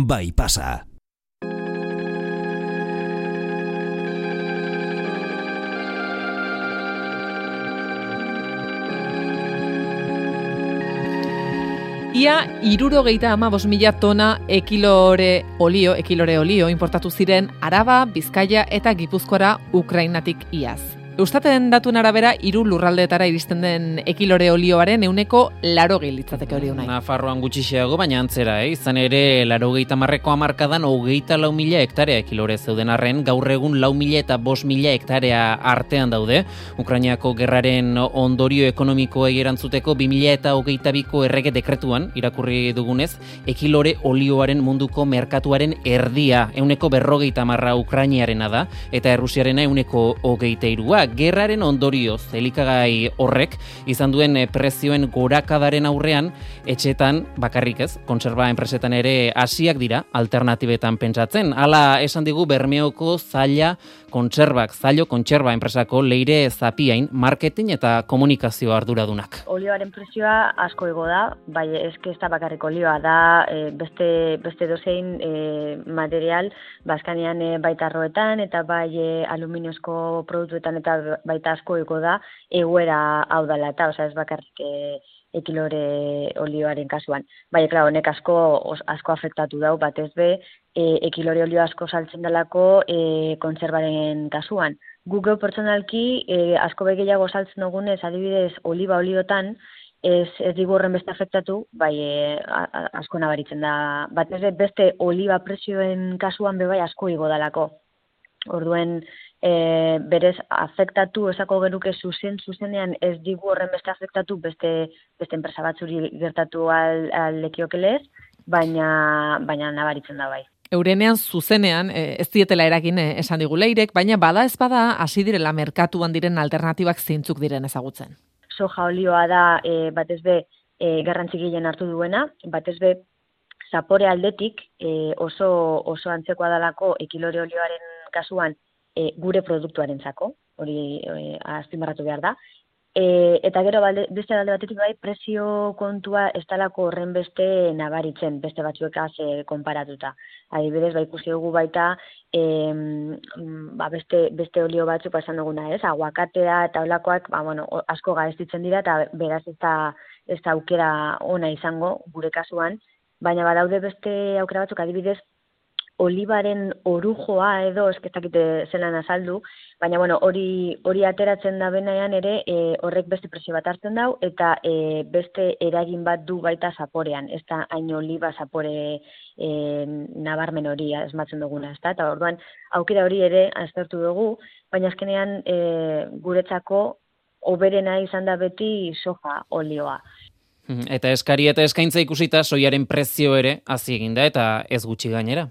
bai pasa. Ia 75.000 tona ekilore olio importatu ziren Araba, Bizkaia eta Gipuzkoara Ukrainatik iaz. Eustaten datuen arabera 3 lurraldeetara iristen den ekilore olioaren 80% litzateke hori unai. Nafarroan gutxiago, baina antzera, izan ere 80ko hamarkadan 24.000 hektarea ekilore zeuden arren, gaur egun 4.000 eta 5.000 hektarea artean daude. Ukrainiako gerraren ondorio ekonomikoei erantzuteko 2022ko errege dekretuan irakurri dugunez, ekilore olioaren munduko merkatuaren erdia 40% Ukrainiarena da eta Errusiarena 23%. Gerraren ondorioz elikagai horrek izan duen prezioen gorakadaren aurrean etxetan bakarrik ez, kontserba enpresetan ere hasiak dira alternatibetan pentsatzen. Hala esan digu Bermeoko Zaila Kontserba enpresako Leire Zapiain marketing eta komunikazio arduradunak. Olioaren prezioa asko igo da, bai eske ez da bakarrik olioa da, beste dozein material Baskanian baita arroetan eta bai aluminiozko produktuetan eta baita asko igo da egoera hau dela eta, ez bakarrik ekilore olioaren kasuan. Bai, klaro, honek asko afektatu dau, batez be, ekilore olio asko saltzen delako kontserbaren kasuan. Guk pertsonalki asko gehiago saltzen dugunez, adibidez, oliba oliotan, ez digu horren beste afektatu, bai asko nabaritzen da. Batez be, beste oliba prezioen kasuan bebai asko igo dalako. Orduen, berez afektatu esako genuke zuzenean ez digu horren beste afektatu beste enpresa batzuri gertatu lekiokelez, baina nabaritzen da bai. Eurenean zuzenean ez dietela eragin esan digu Leirek, baina bada ez bada hasi direla merkatuan diren alternatibak zeintzuk diren ezagutzen. Soja olioa da batez be garrantzi gehien hartu duena, batez be zapore aldetik oso antzekoa dalako ekilore olioaren kasuan gure produktuarentzako, hori azpimarratu behar da. Eta gero beste alde batetik bai prezio kontua ez dalako horren beste nabaritzen, beste batzuekaz konparatuta. Adibidez, ikusi dugu baita beste olio batzuk esan duguna, ez? Aguakatea eta holakoak asko garestitzen dira eta beraz ez da aukera ona izango gure kasuan, baina badaude beste aukera batzuk, adibidez, olibaren orujoa edo eskestakite zelan azaldu, baina hori ateratzen da benean ere horrek beste prezio bat hartzen dau eta beste eragin bat du baita zaporean, ez da hain oliba zapore nabarmen hori esmatzen duguna, ez da, eta orduan aukera hori ere aztertu dugu, baina azkenean guretzako hoberena izan da beti soja olioa. Eta eskari eta eskaintza ikusita soiaren prezio ere hazi egin da eta ez gutxi gainera.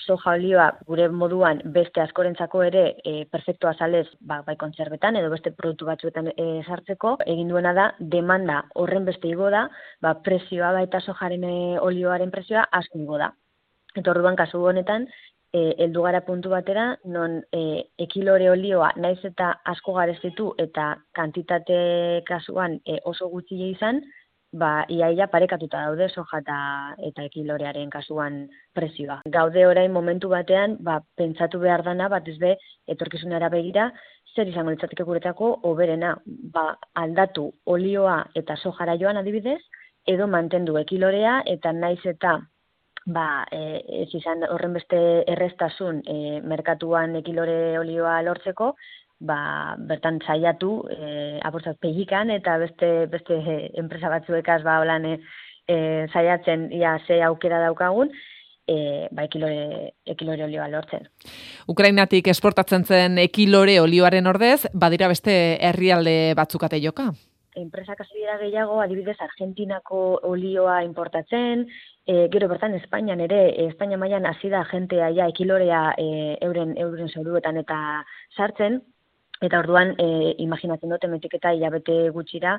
Soja olioa gure moduan beste askorentzako ere perfektu azalez bai kontserbetan edo beste produktu batzuetan sartzeko, egin duena da demanda horren beste igo da, prezioa baita sojaren olioaren prezioa asko igo da. Eta orduan kasu honetan heldu gara puntu batera non ekilore olioa naiz eta asko garestitu eta kantitate kasuan oso gutxi izan, iaia parekatuta daude soja eta ekilorearen kasuan prezioa. Gaude orain momentu batean, pentsatu behar dana, batez be, etorkizunera begira, zer izango litzateke guretako hoberena, aldatu olioa eta sojara joan adibidez, edo mantendu ekilorea eta naiz eta ez izan horren beste erreztasun merkatuan ekilore olioa lortzeko, bertan saiatu aportzat pegikan eta beste enpresa batzuekaz holan saiatzen ze aukera daukagun ekilore olioa lortzen. Ukrainatik esportatzen zen ekilore olioaren ordez, badira beste herrialde batzukate joka? Enpresak hasi dira gehiago, adibidez Argentinako olioa importatzen, gero bertan Espainian ere, Espainia mailan hasi da jentea ekilorea euren zoruetan eta sartzen, eta orduan imaginatzen dut hemendik eta hilabete gutxira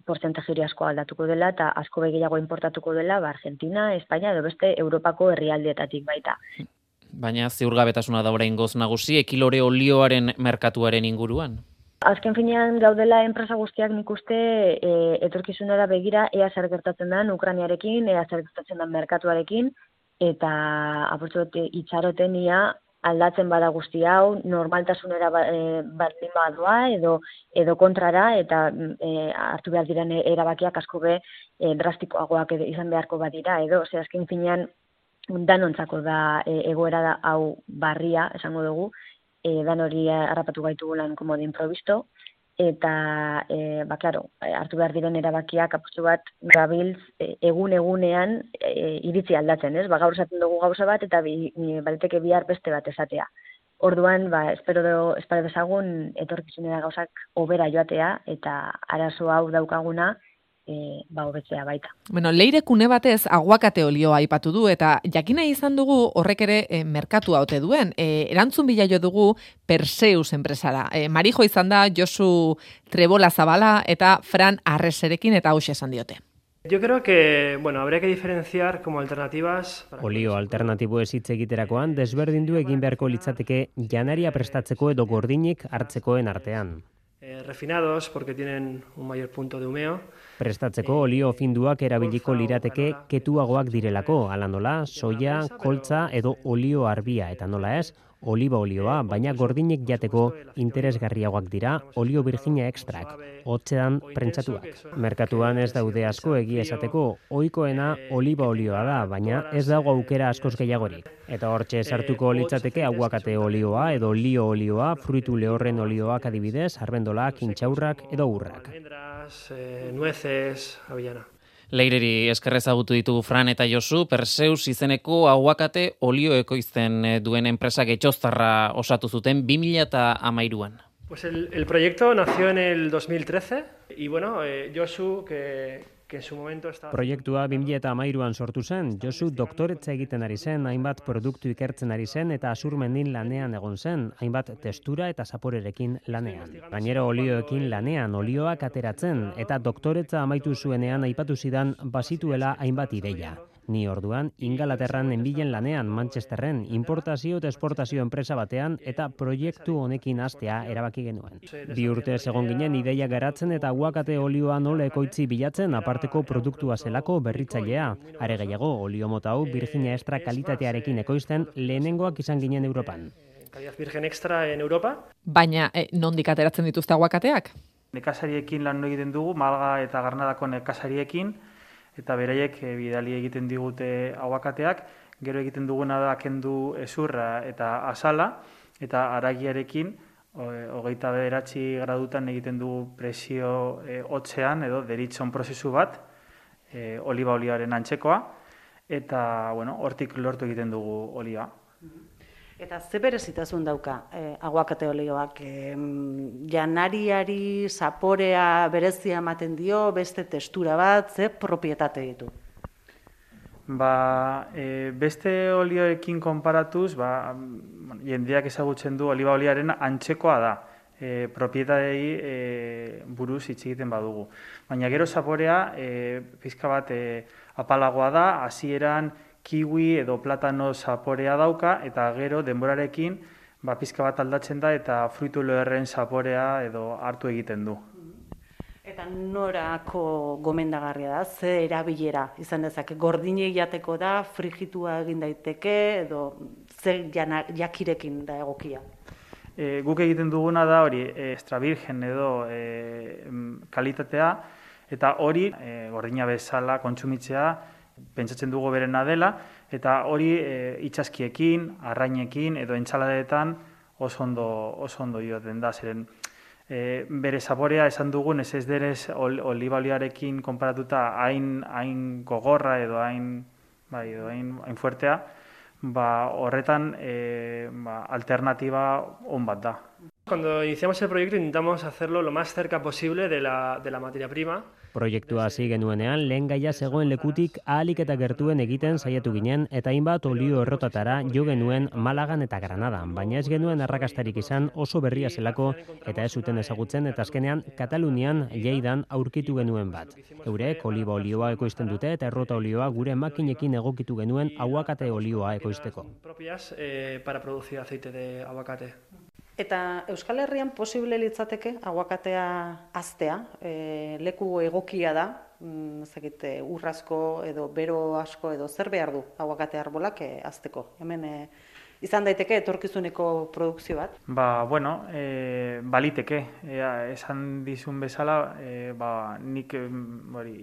portzentaje hori asko aldatuko dela eta asko gehiago importatuko dela Argentina, Espainia edo beste Europako herrialdeetatik baita. Baina ziurgabetasuna da oraingoz nagusi ekilore olioaren merkatuaren inguruan. Azken finean gaudela enpresa guztiak nik uste etorkizunera begira ea zer gertatzen den Ukrainiarekin, ea zer gertatzen den merkatuarekin, eta apurtu itxaroten ia aldatzen bada guzti hau, normaltasunera baldin badoa edo kontrara, eta hartu behar diren erabakiak asko be drastikoagoak izan beharko badira, edo, azken finean danontzako da egoera da hau barria, esango dugu, dan hori harrapatu gaitugulan komo de improvisto, eta, claro, hartu behar diren erabakiak apustu bat gabiltz egunean iritzi aldatzen, ez? Gaur esaten dugu gauza bat, eta baliteke bihar beste bat esatea. Orduan, espero dezagun etorkizunera gauzak hobera joatea, eta arazo hau daukaguna, hobetzea baita. Bueno, Leirekune batez aguakate olioa aipatu du, eta jakina izan dugu horrek ere merkatua ote duen. Erantzun bila jo dugu Perseus enpresara. Marijo izan da Josu Trebola Zabala eta Fran Arreserekin, eta hauxe esan diote. Yo creo que, habría que diferenciar como alternativas. Olio alternatibo ez hitz egiterakoan desberdindu egin beharko litzateke janaria prestatzeko edo gordinik hartzekoen artean. Refinados porque tienen un mayor punto de humeo. Prestatzeko olio finduak erabiliko lirateke ketuagoak direlako, ala nola, soia, koltza edo olio arbia, eta nola ez, oliba olioa, baina gordinek jateko interesgarriagoak dira olio virginia extrak, hotzean prentsatuak. Merkatuan ez daude asko egia esateko, ohikoena oliba olioa da, baina ez dago aukera askoz gehiagorik. Eta hortxe sartuko litzateke aguakate olioa edo lio olioa, fruitu lehorren olioak adibidez, arbendolak, intxaurrak edo urrak. Nueces, avellana. Leireri esker ezagutu ditugu Fran eta Josu, Perseus izeneko aguakate olio ekoizten duen enpresak etxoztarra osatu zuten 2013an. Pues el proyecto nació en el 2013 y Josu que en su momento estaba... Proiektua 2013an sortu zen, Josu doktoretza egiten ari zen, hainbat produktu ikertzen ari zen eta Azurmendin lanean egon zen, hainbat testura eta zaporerekin lanean. Gainera olioekin lanean, olioak ateratzen eta doktoretza amaitu zuenean aipatu zidan bazituela hainbat ideia. Ni orduan, Ingalaterran enbilen lanean, Manchesterren, importazio eta esportazio enpresa batean eta proiektu honekin hastea erabaki genuen. 2 urte egon ginen ideia garatzen eta aguakate olioa nola ekoitzi bilatzen aparteko produktua zelako berritzailea. Are gehiago, olio mota hau Virginia Extra kalitatearekin ekoizten lehenengoak izan ginen Europan. Calidad Virgen Extra en Europa. Baina, nondik ateratzen dituzte aguakateak? Nekazariekin lan egiten dugu, Malga eta Garnadako nekazariekin, eta beraiek bidali egiten digute aguakateak, gero egiten duguna da kendu ezurra eta azala, eta haragiarekin 29 gradutan egiten dugu presio hotzean edo deritzon prozesu bat, oliba olioaren antzekoa, eta hortik lortu egiten dugu olioa. Eta ze berezitasun dauka aguakate olioak? Janariari zaporea berezia ematen dio, beste testura bat, ze propietate ditu? Beste olioekin konparatuz, jendeak ezagutzen du oliba oliaren antzekoa da. Propietatei buruz hitz egiten badugu. Baina gero zaporea pizka bat apalagoa da, hasieran kiwi edo platano zaporea dauka, eta gero denborarekin pizka bat aldatzen da eta fruitu lehorren zaporea edo hartu egiten du. Eta norako gomendagarria da, ze erabilera izan dezake? Gordinei jateko da, frijitua egin daiteke, edo ze jakirekin da egokia? Guk egiten duguna da hori extra virgen edo kalitatea, eta hori gordina bezala kontsumitzea pentsatzen dugu berena dela, eta hori itsaskiekin, arrainekin edo entzaladetan oso ondo joaten da, zeren bere zaporea esan dugun ez denez oliba oliarekin konparatuta hain gogorra edo hain fuertea, horretan alternativa on bat da. Cuando iniciamos el proyecto intentamos hacerlo lo más cerca posible de la materia prima. Proiektua hasi genuenean lehen gaia zegoen lekutik ahalik eta gertuen egiten saiatu ginen eta hainbat olio errotatara jo genuen Malagan eta Granadan, baina ez genuen arrakastarik izan oso berria zelako eta ez zuten ezagutzen eta azkenean Katalunian Lleidan aurkitu genuen bat. Eurek oliba olioa ekoizten dute eta errota olioa gure makinekin egokitu genuen aguakate olioa ekoizteko. Propias para producir aceite de aguacate. Eta Euskal Herrian posible litzateke aguakatea haztea, leku egokia da, ur asko edo bero asko edo zer behar du aguakate arbolak hazteko. Hemen izan daiteke etorkizuneko produkzio bat? Baliteke. Esan dizun bezala, nik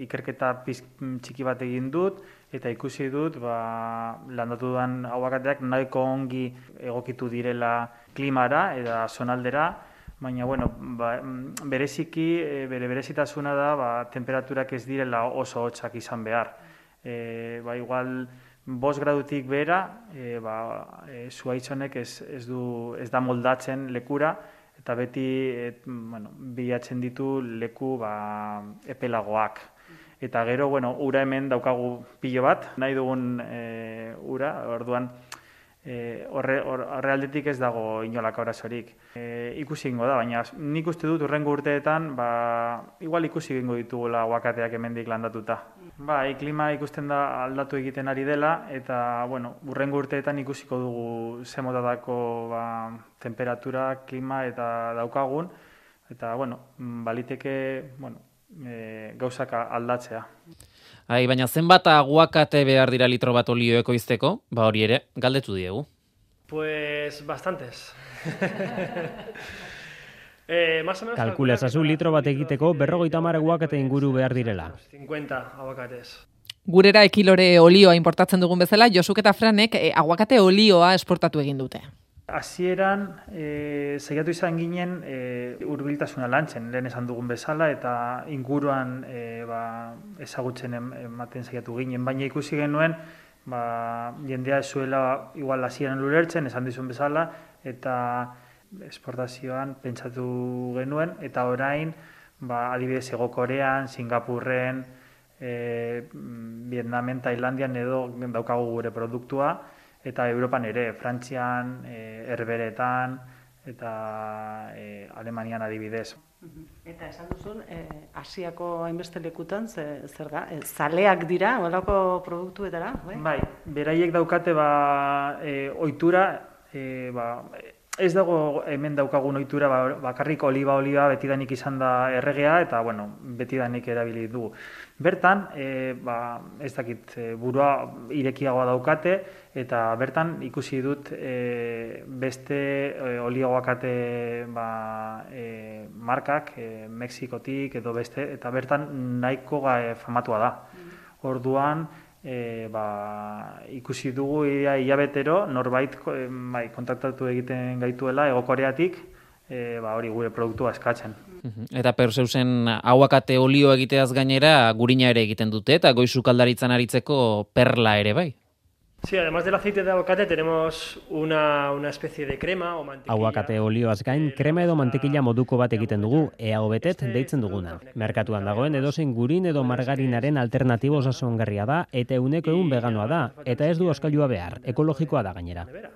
ikerketa txiki bat egin dut, eta ikusi dut landatu dudan aguakateak nahiko ongi egokitu direla klimara eta zonaldera, baina bereziki, bere berezitasuna da temperaturak ez direla oso hotzak izan behar. Igual 5 gradutik behera, zuhaitz honek ez da moldatzen lekura, eta beti bilatzen ditu leku epelagoak. Eta gero, ura hemen daukagu pilo bat, nahi dugun ura, orduan horre aldetik ez dago inolako arazorik. Ikusi egingo da, baina nik uste dut hurrengo urteetan, igual ikusi egingo ditugula aguakateak hemendik landatuta. Klima ikusten da aldatu egiten ari dela, eta hurrengo urteetan ikusiko dugu ze motatako temperatura, klima eta daukagun, eta baliteke gauzak aldatzea. Baina zenbat aguakate behar dira litro bat olio ekoizteko? Hori ere, galdetu diegu. Pues bastantes. Kalkula ezazu litro bat egiteko 50 aguakate inguru behar direla. 50 aguakates. Gurera ekilore olioa importatzen dugun bezala, Josuk eta Franek aguakate olioa esportatu egin dute. Hasieran saiatu izan ginen hurbiltasuna lantzen, lehen esan dugun bezala, eta inguruan ezagutzen ematen saiatu ginen, baina ikusi genuen jendea ez zuela igual hasieran ulertzen, esan dizun bezala, eta esportazioan pentsatu genuen, eta orain adibidez Hego Korean, Singapurren, Vietnamen, Tailandian edo daukagu gure produktua, eta Europan ere, Frantzian, Herberetan, eta Alemanian adibidez. Eta esan duzun, Asiako hainbeste lekutan, zer da? Zaleak dira, holako produktuetara? Bai, beraiek daukate ohitura, ez dago hemen daukagun ohitura, bakarrik oliba betidanik izan da erregea, eta betidanik erabili du. Bertan, ez dakit, burua irekiagoa daukate, eta bertan ikusi dut beste olio aguakate markak, Mexikotik edo beste, eta bertan nahiko famatua da. Orduan, ikusi dugu hilabetero norbait kontaktatu egiten gaituela Hego Koreatik, hori gure produktua eskatzen. Eta Perseusen aguakate olio egiteaz gainera gurina ere egiten dute, eta goiz sukaldaritzan aritzeko perla ere bai. Sí, además del aceite de aguacate tenemos una especie de crema o mantequilla. Aguakate olioaz gain, krema edo mantekila moduko bat egiten dugu, EAO-betet deitzen duguna. Merkatuan dagoen edozein gurin edo margarinaren alternatibo osasungarria da, eta 100% veganoa da, eta ez du oskailua behar, ekologikoa da gainera.